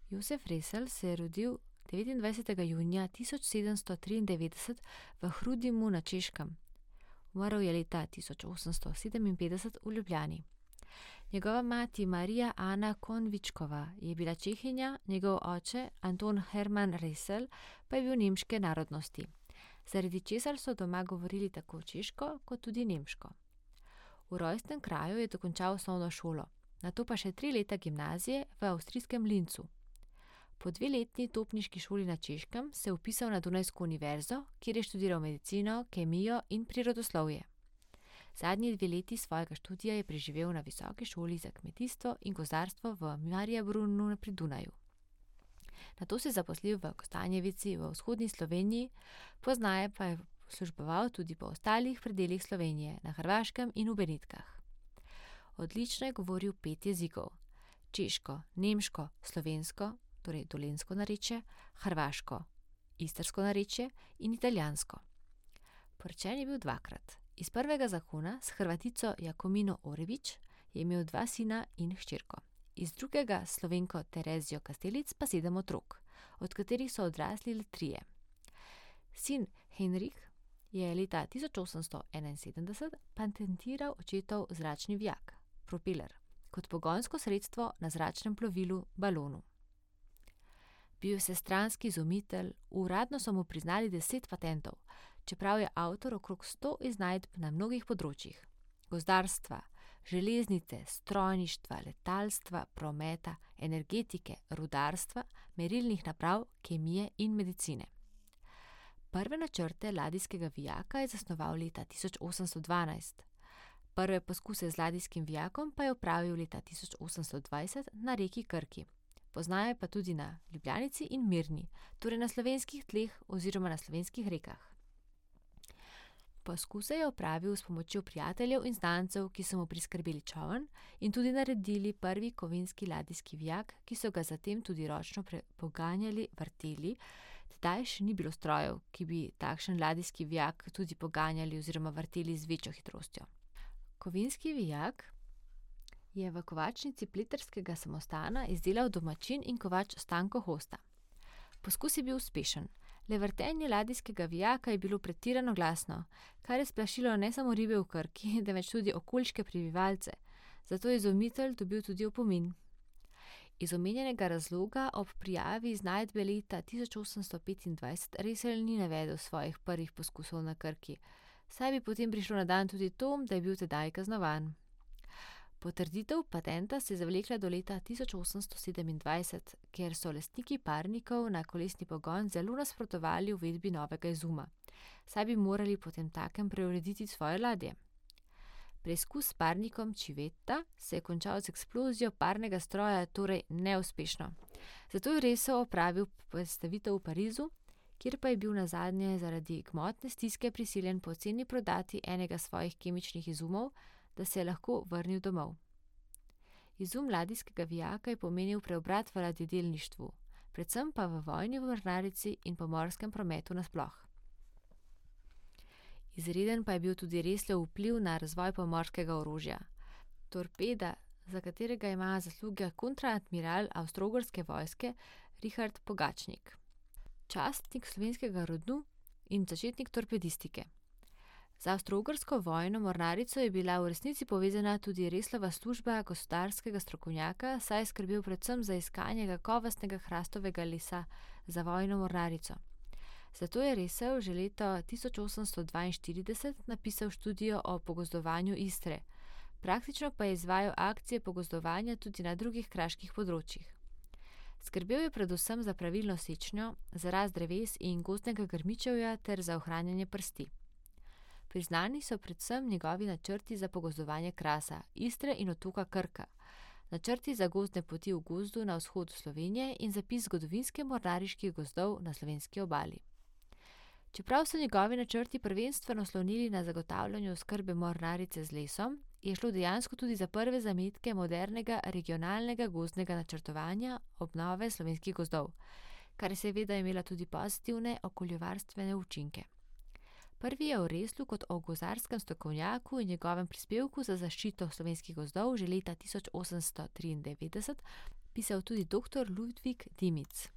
Josef Resl se je rodil 29. junija 1793 v Hrudimu na Češkem. Umrl je leta 1857 v Ljubljani. Njegova mati Marija Ana Konvičkova je bila Čehinja, njegov oče Anton Herman Resl pa je bil nemške narodnosti, zaradi česar so doma govorili tako češko kot tudi nemško. V rojstnem kraju je dokončal osnovno šolo, nato pa še 3 leta gimnazije v avstrijskem Linzu. Po 2-letni topniški šoli na Češkem se je vpisal na Dunajsko univerzo, kjer je študiral medicino, kemijo in prirodoslovje. Zadnji 2 leti svojega študija je preživel na Visoki šoli za kmetijstvo in gozdarstvo v Mariabrunu pri Dunaju. Nato se je zaposlil v Kostanjevici v vzhodni Sloveniji, pozneje pa je služboval tudi po ostalih predelih Slovenije, na Hrvaškem in v Benetkah. Odlično je govoril 5 jezikov: češko, nemško, slovensko, torej dolenjsko narečje, hrvaško, istrsko narečje in italijansko. Poročen je bil 2-krat. Iz prvega zakona s Hrvatico Jakomino Orević je imel 2 sina in hčerko. Iz drugega s Slovenko Terezijo Kastelic pa 7 otrok, od katerih so odrasli le 3. Sin Henrik je leta 1871 patentiral očetov zračni vijak, propeler, kot pogonsko sredstvo na zračnem plovilu balonu. Bil je vsestranski izumitelj, uradno so mu priznali 10 patentov, čeprav je avtor okrog 100 iznajdb na mnogih področjih: gozdarstva, železnice, strojništva, letalstva, prometa, energetike, rudarstva, merilnih naprav, kemije in medicine. Prve načrte ladijskega vijaka je zasnoval leta 1812. Prve poskuse z ladijskim vijakom pa je opravil leta 1820 na reki Krki. Poznajo pa tudi na Ljubljanici in Mirni, torej na slovenskih tleh oziroma na slovenskih rekah. Poskuse je opravil s pomočjo prijateljev in znancev, ki so mu priskrbeli čoln in tudi naredili prvi kovinski ladijski vijak, ki so ga zatem tudi ročno poganjali, vrteli. Tedaj še ni bilo strojev, ki bi takšen ladijski vijak tudi poganjali oziroma vrteli z večjo hitrostjo. Kovinski vijak je v kovačnici Pleterskega samostana izdelal domačin in kovač Stanko Hosta. Poskus je bil uspešen, le vrtenje ladijskega vijaka je bilo pretirano glasno, kar je splašilo ne samo ribe v Krki, temveč tudi okoliške prebivalce, zato je izumitelj dobil tudi opomin. Iz omenjenega razloga ob prijavi iznajdbe leta 1825 Resl ni navedel svojih prvih poskusov na Krki, saj bi potem prišlo na dan tudi to, da je bil tedaj kaznovan. Potrditev patenta se je zavlekla do leta 1827, ker so lastniki parnikov na kolesni pogon zelo nasprotovali uvedbi novega izuma, saj bi morali potemtakem preurediti svoje ladje. Preizkus s parnikom Civetta se je končal z eksplozijo parnega stroja, torej neuspešno. Zato je Resl opravil predstavitev v Parizu, kjer pa je bil nazadnje zaradi gmotne stiske prisiljen poceni prodati enega svojih kemičnih izumov, da se je lahko vrnil domov. Izum ladijskega vijaka je pomenil preobrat v ladjedelništvu, predvsem pa v vojni mornarici in pomorskem prometu nasploh. Izreden pa je bil tudi Reslov vpliv na razvoj pomorskega orožja. Torpeda, za katerega ima zasluge kontraadmiral avstro-ogrske vojske Richard Pogačnik, častnik slovenskega rodu in začetnik torpedistike. Z avstro-ogrsko vojno mornarico je bila v resnici povezana tudi Reslova služba gospodarskega strokovnjaka, saj je skrbel predvsem za iskanje kakovostnega hrastovega lesa za vojno mornarico. Zato je Resl že leta 1842 napisal študijo o pogozdovanju Istre, praktično pa je izvajal akcije pogozdovanja tudi na drugih kraških področjih. Skrbel je predvsem za pravilno sečnjo, za rast dreves in gozdnega grmičevja ter za ohranjanje prsti. Priznani so predvsem njegovi načrti za pogozdovanje Krasa, Istre in otoka Krka, načrti za gozdne poti v gozdu na vzhodu Slovenije in zapis zgodovinske mornariških gozdov na slovenski obali. Čeprav so njegovi načrti prvenstveno slonili na zagotavljanju oskrbe mornarice z lesom, je šlo dejansko tudi za prve zametke modernega regionalnega gozdnega načrtovanja obnove slovenskih gozdov, kar je seveda imela tudi pozitivne okoljevarstvene učinke. Prvi je o Reslu kot o gozdarskem strokovnjaku in njegovem prispevku za zaščito slovenskih gozdov že leta 1893 pisal tudi dr. Ludvik Dimic.